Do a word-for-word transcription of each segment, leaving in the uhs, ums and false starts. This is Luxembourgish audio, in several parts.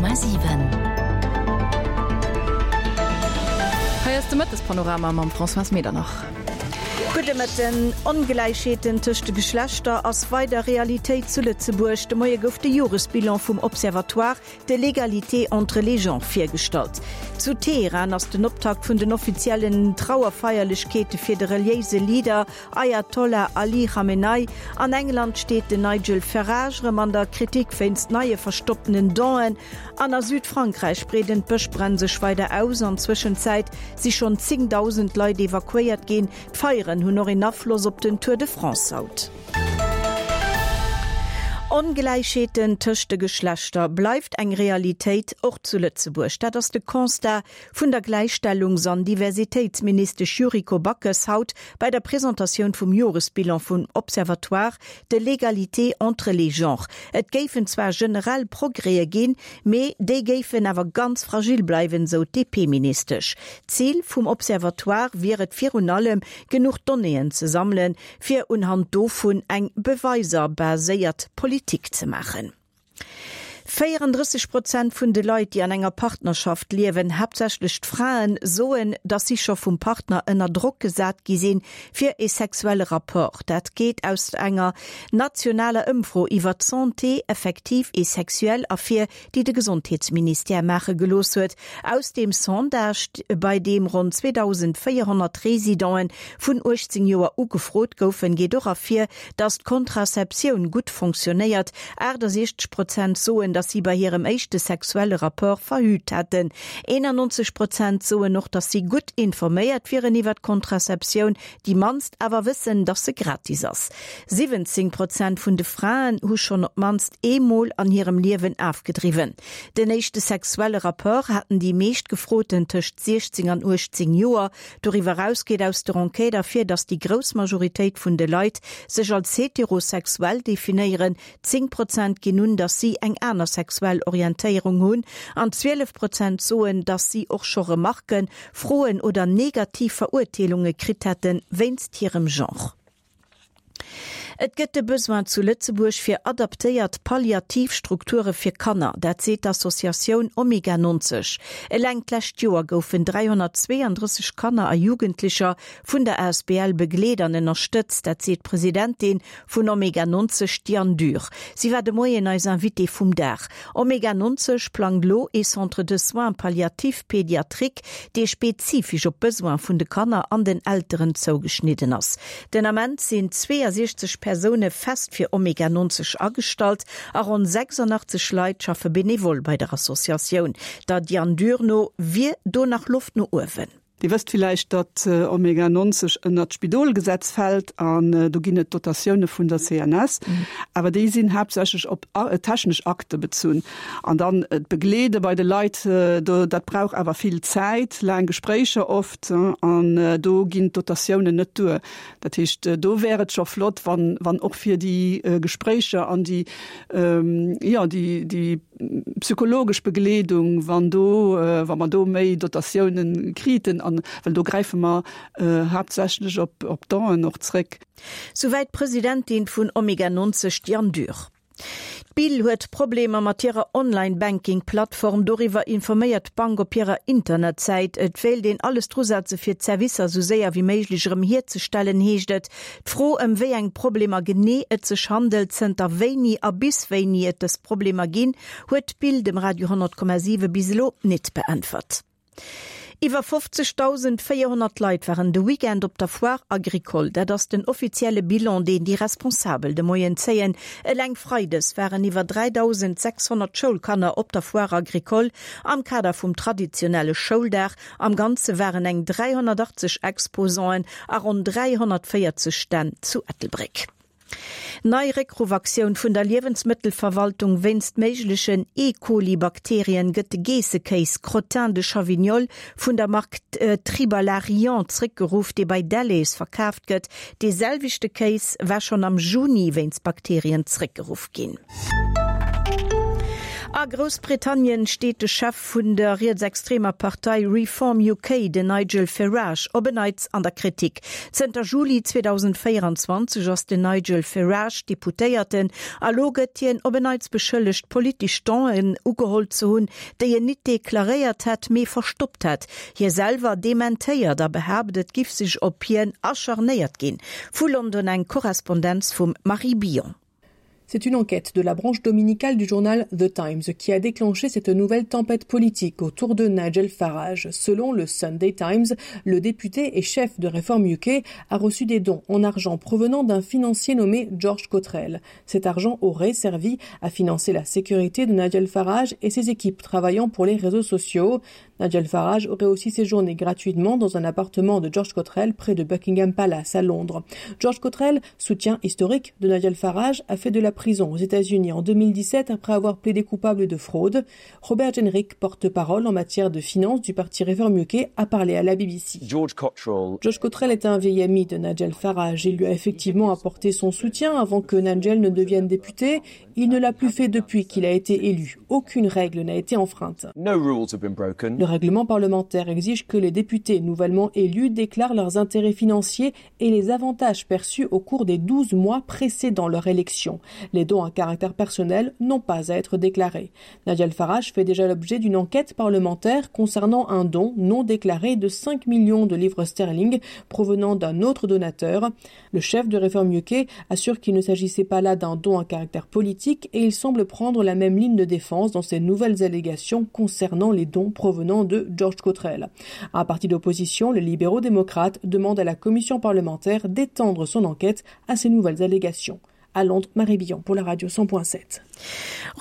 Komma siwen. Hei ass de Mëttespanorama mam Françoise Medernach. Gudde Mëtten. Ongläichheeten tëscht de Geschlechter ass weider Realitéit zu Lëtzebuerg. De Moie gouf de Joresbilan vum Observatoire de l'égalité entre les genres virgestallt. Zu Teheran ass den Optakt vun den offiziellen Trauerfeierlechkeete fir de reliéise Leader Ayatollah Ali Khamenei. An England steet den Nigel Farage erëm an der Kritik wéinst neie verstopptenen Donen. An a Südfrankräich breeden d'Bëschbränn sech weider aus. An Zwëschenzäit si schonn zéngdausend Leit evakuéiert ginn. D'Feieren hunn och een Afloss op den Tour de France haut. Ongläichheeten tëscht de Geschlechter bleift eng Realitéit, och zu Lëtzebuerg. Dat ass de Constat vun der Gläichstellungs an Diversitéitsministesch Yuriko Backes haut bei der Presentatioun vum Joresbilan vum Observatoire de l'égalité entre les genres. Et géifen zwar generell Progrèse ginn, mee déi géifen awer ganz fragil bleiwen, sou d'DP-Ministesch. Zil vum Observatoire wier et virun allem, genuch Donnéeën ze sammelen, fir unhand dovun eng beweiserbaséiert Politik ze maachen. Véierendrësseg Prozent vun de Leit, déi an enger Partnerschaft liewen, haaptsächlech d'Fraen, soen, datt si scho vum Partner ënner Drock gesat gi sinn, fir ee sexuelle Rapport. Dat geet aus enger nationaler Ëmfro iwwer d'Santé affective et sexuelle ervir, déi de Gesondheetsministère maache gelooss huet. Aus deem Sondage, bei deem ronn zweedausendvéierhonnert Residenten vun uechtzéng Joer u gefrot goufen, geet och ervir, datt d'Kontrazeptioun gutt fonctionnéiert, aachtasechzeg Prozent soen, datt si bei hirem éischte sexuelle Rapport verhüt hätten. Eenannonzeg Prozent soen och, datt si gutt informéiert wieren iwwer d'Kontrazeptioun, déi mannst awer wëssen, datt se gratis ass. Siwwenzéng Prozent vun de Fraen hu schonn op d'mannst eemol an hirem Liewen afgedriwwen. Den éischte sexuelle Rapport haten déi meescht Gefroten tëscht siechzéng an uechtzéng Joer. Doriwwer eraus geet aus der Enquête ervir, datt déi grouss Majoritéit vun de Leit sech als heterosexuell definéieren, zéng Prozent ginn un, datt si eng aner sexuell Orientéierung hunn an zwielef Prozent soen, datt si och scho Remarken, Froen oder negativ Verurteelunge kritt hätte wéinst hirem Genre. Et gëtt de Besoin zu Lëtzebuerg fir adaptéiert Palliativstrukture fir Kanner, dat seet d'Associatioun Omega neunzeg. Eleng d'lescht Joer goufen dräihonnertzweeandrësseg Kanner a Jugendlecher vun der asbl begleet an ënnerstëtzt, dat seet d'Presidentin vun Omega neunzeg, d'Diane Dürr. Si war de Moien eis Invitée vum Dag. Omega neunzeg plangt lo ee Centre de soins palliatifs pédiatriques, dee spezifesch op d'Besoine vun de Kanner an den Elteren zougeschnidden ass. Den Ament sinn zweeasechzeg Persoune fest fir Omega neunzeg agestallt a ronn sechsundachtzeg Leit schaffe benevol bei der Associatioun. Der Diane Dürr no wier do nach Loft no uewen. Dir wësst villäicht, datt Omega neunzeg ënnert d'Spidolgesetz fält an do ginn et Dotatioune vun der C N S, awer déi sinn haaptsächlech op technesch Akte bezunn. An dann d'Begleede bei de Leit, do dat brauch awer vill Zäit, laang Gespréicher oft an do ginn d'Dotatiounen net duer. Dat heescht, do wär et scho flott, wann wann och fir déi Gespréicher an déi, jo, déi déi psychologesch Begleedung, wann do, wa mer do méi Dotatiounen kriten, an well do gräife mer haaptsächlech op op Donen och zréck. Souwäit d'Presidentin vun Omega neunzeg, d'Diane Dürr. D'Bill huet Problemer mat hirer Online-Banking-Plattform. Doriwwer informéiert d'Bank op hirer Internetsäit. Et wéilt een alles drusetze fir d'Servicer sou séier wéi méiglech erëm hierzestellen, heescht et. D'Fro ëm wéi eng Problemer genee et sech handelt, zënter wéini a bis wéini et dës Problemer ginn, huet d'Bill dem Radio honnert Komma siwe bis elo net beäntwert. Iwwer fofzegdausend véierhonnert Leit waren de Weekend op der Foire Agricole. Dat ass den offizielle Bilan, deen déi Responsabel de Moien zéien. Eleng freides waren iwwer dräidausendsechshonnert Schoulkanner op der Foire Agricole am Kader vum traditionelle Schouldag. Am Ganze waren eng dräihonnertachtzeg Exposanten a ronn dräihonnertvéierzeg Stänn zu Ettelbréck. Nei Réckruffaktioun vun der Liewensmëttelverwaltung, Wéinst méiglechen E-Coli-Bakterien gëtt de Geessekéis Crottin de Chavignol vun der Mark Tribalarian zréckgeruff, dee bei Delhaize verkaaft gëtt. Dee selwechte Kéis war schonn am Juni wéinst Bakterien zréckgeruff ginn. A Groussbritannien steet de Chef vun der rietsextremer Partei Reform U K, den Nigel Farage, op en Neits an der Kritik. Zënter Juli zweedausendvéierenzwanzeg ass den Nigel Farage Deputéierten. A lo gëtt hien op en Neits beschëllegt, politesch Donen ugeholl ze hunn, déi en net deklaréiert hätt, mee verstoppt hätt. Hie selwer dementéiert a behaapt, et giff sech op hien acharnéiert ginn. Vu London eng Korrespondenz vum Marie Billon. C'est une enquête de la branche dominicale du journal The Times qui a déclenché cette nouvelle tempête politique autour de Nigel Farage. Selon le Sunday Times, le député et chef de Reform U K a reçu des dons en argent provenant d'un financier nommé George Cottrell. Cet argent aurait servi à financer la sécurité de Nigel Farage et ses équipes travaillant pour les réseaux sociaux. Nigel Farage aurait aussi séjourné gratuitement dans un appartement de George Cottrell près de Buckingham Palace à Londres. George Cottrell, soutien historique de Nigel Farage, a fait de la prison aux États-Unis en deux mille dix-sept après avoir plaidé coupable de fraude. Robert Jenrick, porte-parole en matière de finances du parti Reform U K, a parlé à la B B C. George Cottrell George Cottrell est un vieil ami de Nigel Farage. Il lui a effectivement apporté son soutien avant que Nigel ne devienne député. Il ne l'a plus fait depuis qu'il a été élu. Aucune règle n'a été enfreinte. No rules have been broken. Le règlement parlementaire exige que les députés nouvellement élus déclarent leurs intérêts financiers et les avantages perçus au cours des douze mois précédant leur élection. Les dons à caractère personnel n'ont pas à être déclarés. Nigel Farage fait déjà l'objet d'une enquête parlementaire concernant un don non déclaré de cinq millions de livres sterling provenant d'un autre donateur. Le chef de Reform U K assure qu'il ne s'agissait pas là d'un don à caractère politique et il semble prendre la même ligne de défense dans ses nouvelles allégations concernant les dons provenant de George Cottrell. Un parti d'opposition, les libéraux démocrates, demande à la commission parlementaire d'étendre son enquête à ces nouvelles allégations. À Londres, Marie Billon pour la radio cent point sept.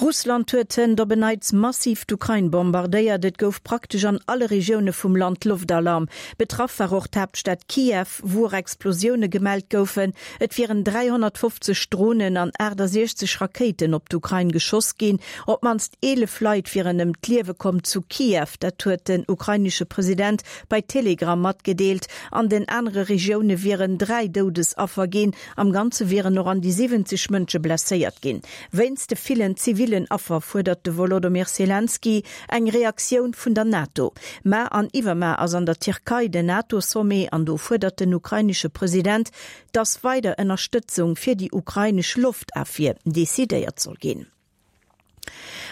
Russland huet hënt op en Neits massiv d'Ukrain bombardéiert. Et gouf praktesch an alle Regioune vum Land Loftalarm. Betraff war och d'Haaptstad Kiew, wou Explosioune gemellt goufen. Et wieren dräihonnertfofzeg Dronen an achtesiechzeg Rakéiten op d'Ukrain geschoss ginn. Op d'mannst eelef Leit wieren ëm d'Liewe komm zu Kiew, dat huet den ukrainesche President bei Telegram matgedeelt. An den anere Regioune wieren dräi Doudesaffer ginn. Am Ganze wieren nach an déi siwwenzeg Mënsche blesséiert ginn. Wéinst de villen zivillen Affer fuerdert de Volodymyr Zelensky eng Reaktioun vun der NATO. Mar an iwwermuer ass an der Tierkei den NATO-Sommet an do fuerdert den ukrainesche President, dass weider Ënnerstëtzung fir déi ukrainesch Loftofwier decidéiert soll ginn.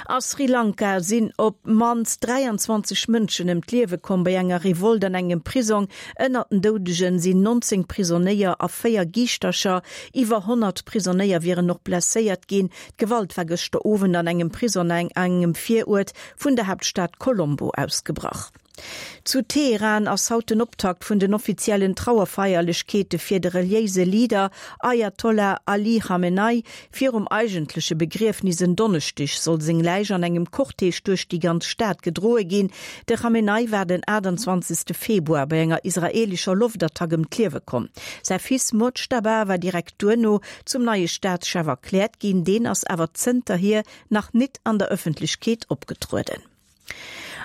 A Sri Lanka sinn op d'mannst dräianzwanzeg Mënschen ëm d'Liewe komm bei enger Revolt an engem Prisong. Ënnert den Doudegen sinn nonzéng Prisonéier a véier Giischtercher. Iwwer honnert Prisonéier wieren nach blesséiert ginn. D'Gewalt war gëschter Owend an engem Prisong an engem Viruert vun der Haaptstad Colombo ausgebrach. Zu Teheran ass haut den Optakt vun den offiziellen Trauerfeierlechkeete fir de reliéise Leader Ayatollah Ali Khamenei. Virum eigentleche Begriefnis en Donneschdeg soll seng Läich an engem Cortège duerch déi ganz Stad gedroe ginn. De Khamenei war den achtundzwanzegste Februar bei enger israelischer Loftattack ëm d'Liewe komm. Säi Fils Mojtaba war direkt duerno zum neie Staatschef erkläert ginn, deen ass awer zënterhier nach net an der Ëffentlechkeet opgetrueden.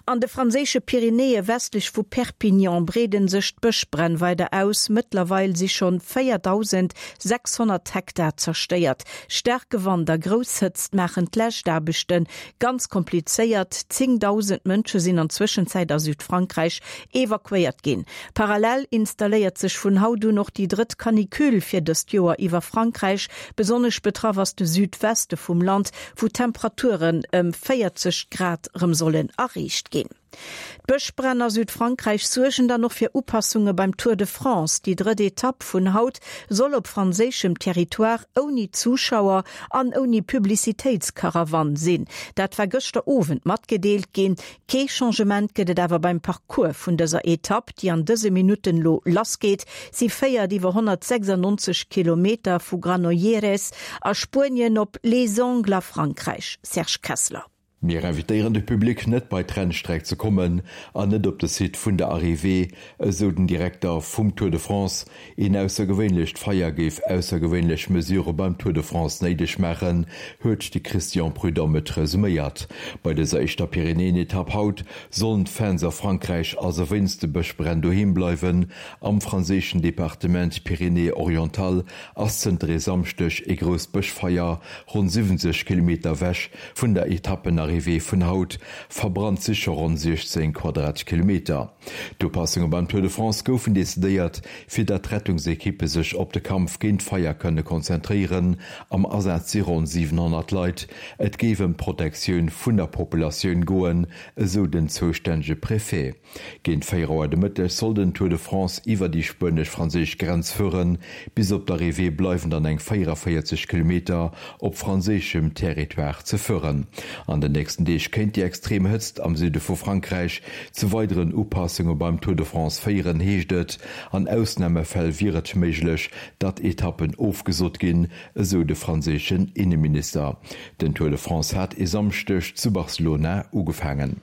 An de franséische Pyrenäe westlech vu Perpignan breeden sech d'Bëschbränn weider aus. Mëttlerweil si schonn véierdausendsächshonnert Hektar zerstéiert. Staarke Wand a grouss Hëtzt maachen d'Läschaarbechte ganz komplizéiert. Zéngdausend Mënsche sinn an Zwëschenzäit a Südfrankräich evakuéiert ginn. Parallel installéiert sech vun haut un och déi drëtt Canicule fir dëst Joer iwwer Frankräich. Besonnesch betraff ass de Südweste vum Land, wou Temperaturen ëm véierzeg Grad rëm sollen erreecht ginn. D'Bëschbränn a Südfrankräich suergen dann och fir Upassunge beim Tour de France. Déi drëtt Etapp vun haut soll op franséischem Territoire ouni Zuschauer an ouni Publicitéitskarawann sinn. Dat war gëschter Owend matgedeelt ginn. Kee Changement gëtt et awer beim Parcours vun dëser Etapp, déi an dëse Minutten lo lassgeet. Si féiert iwwer honnertsechsannonzeg Kilometer vu Granollers a Spuenien op Les Angles a Frankräich. Serge Kessler. Mir invitéieren de Public net bei d'Rennstreck ze kommen an net op de Site vun der Arrivée, esou den Direkter vum Tour de France. Een aussergewéinlecht Feier géif aussergewéinlech Mesure beim Tour de France néideg maachen, huet de Christian Prudhomme resuméiert. Bei dëser éischter Pyrenäen-Etapp haut sollen d'Fans a Frankräich also wéinst de Bëschbränn doheem bleiwen. Am franséischen Departement Pyrénées-Orientales ass zënter e Samschdeg e grousst Bëschfeier ronn siwwenzeg Kilometer ewech vun der Etappenarrivée Arrivée vun haut verbrannt si scho ronn siechzéng Quadratkilometer. D'Upassunge beim Tour de France goufen decidéiert, fir datt d'Rettungsekippe sech op de Kampf géint d'Feier kënne konzentréieren. Am Asaz si ronn siwenhonnert Leit. Et géif ëm d'Protektioun vun der Populatioun goen, esou den zoustännege Préfet. Géint véier Auer de Mëtteg soll den Tour de France iwwer déi spuenesch-franséisch Grenz fueren. Bis op d'Arrivée bleiwen dann eng véierundavéierzeg Kilometer op franséischem Territoire ze fueren. An den nächsten Deeg kéint déi extrem Hëtzt am Süde vu Frankräich zu weideren Upassunge beim Tour de France féieren, heescht et. An Ausnamefäll wier et méiglech, datt Etappen ofgesot ginn, esou de franséischen Inneminister. Den Tour de France hat e Samschdeg zu Barcelona ugefaangen.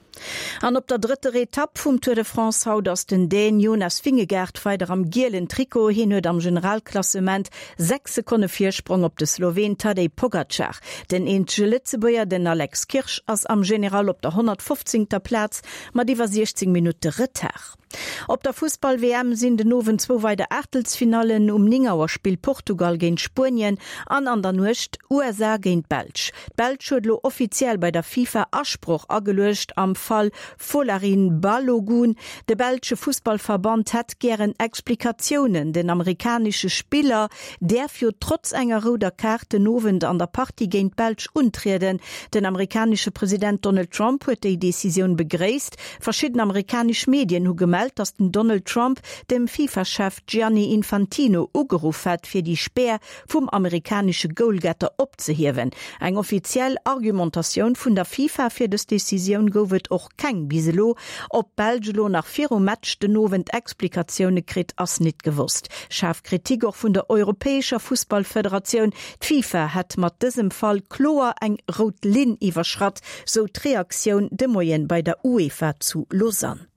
An op der drëtter Etapp vum Tour de France haut ass den Dän Jonas Vingegaard weider am gielen Trikot. Hien huet am Generalklassement sechs Sekonne Virsprong op de Sloween Tadej Pogacar. Den eenzege Lëtzebuerger, den Alex Kirsch, ass am General op der honnertfofzéngter Plaz mat iwwer siechzéng Minutte Retard. Op der Fussball-W M sinn den Owend zwou weider Aachtelsfinallen, Um néng Auer spillt Portugal géint Spuenien an an der Nuecht U S A géint d'Belsch. D'Belsch huet elo offiziell bei der FIFA Asproch ageluecht am Fall Folarin Balogun. De belsche Fussballverband hätt gären Explikatiounen. Den amerikanesche Spiller däerf jo trotz enger rouder Kaart den Owend an der Partie géint d'Belsch untrieden. Den amerikanesche President Donald Trump huet déi Decisioun begréisst. Verschidden amerikanesch Medien hu gemellt, datt den Donald Trump dem FIFA-Chef Gianni Infantino ugeruff hätt, fir déi Spär vum amerikanesche Goalgetter opzehiewen. Eng offiziell Argumentatioun vun der FIFA fir dës Decisioun gouf et och keng bis elo. Ob d'Belsch elo nach virum Match den Owend Explikatioune kritt, ass net gewosst. Schaarf Kritik och vun der europäescher Fussballfederatioun, D'FIFA hätt mat dësem Fall kloer eng rout Linn iwwerschratt, sou d'Reaktioun de Moien bei der UEFA zu Lausanne.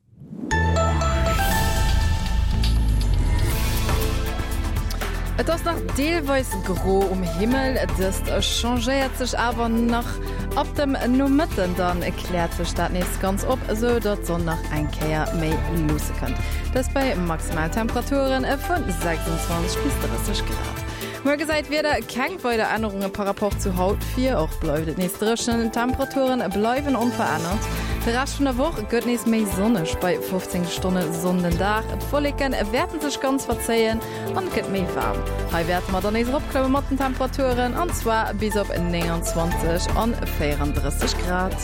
Et ass nach deelweis gro um Himmel, dëst changéiert sech awer nach. Ab dem Nomëtten dann kläert sech dat nees ganz op, esou datt d'Sonn nach eng Kéier méi luusse kënnt. Dëst bei Maximaltemperature vun sechsundzwanzeg bis drësseg Grad. Muer gesäit d'Wieder keng weider Ännerunge par rapport zu haut vir, och bleift et nees dréchen, d'Temperaturen bleiwen onverännert. De Rescht vun der Woch gëtt nees méi sonneg bei fofzéng Stonne Sonn den Dag. D'Wolleke wäerten sech ganz verzéien an et gëtt méi waarm. Hei wäerte mer dann nees eropklamme mat den Temperaturen an zwar bis op nénganzwanzeg an véierandrësseg Grad.